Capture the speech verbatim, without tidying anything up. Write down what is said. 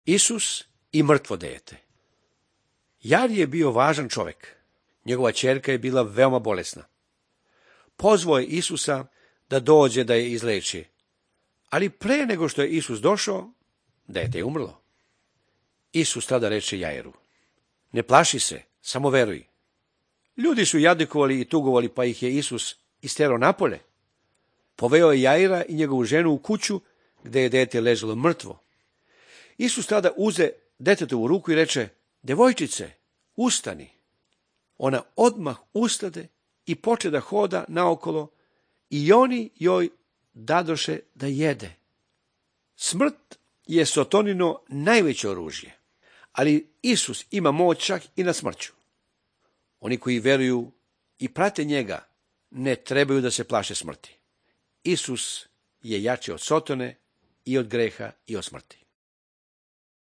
Isus i mrtvo dete. Jair je bio važan čovjek. Njegova ćerka je bila veoma bolesna. Pozvao je Isusa da dođe da je izleči, ali pre nego što je Isus došao, dete je umrlo. Isus tada reče Jairu: ne plaši se, samo veruj. Ljudi su jadikovali i tugovali, pa ih je Isus isterao napolje. Poveo je Jaira i njegovu ženu u kuću, gde je dete ležalo mrtvo. Isus tada uze detetovu u ruku i reče: devojčice, ustani. Ona odmah ustade i poče da hoda naokolo, i oni joj dadoše da jede. Smrt je Sotonino najveće oružje, ali Isus ima moć čak i na smrću. Oni koji veruju i prate njega ne trebaju da se plaše smrti. Isus je jači od Sotone i od greha i od smrti.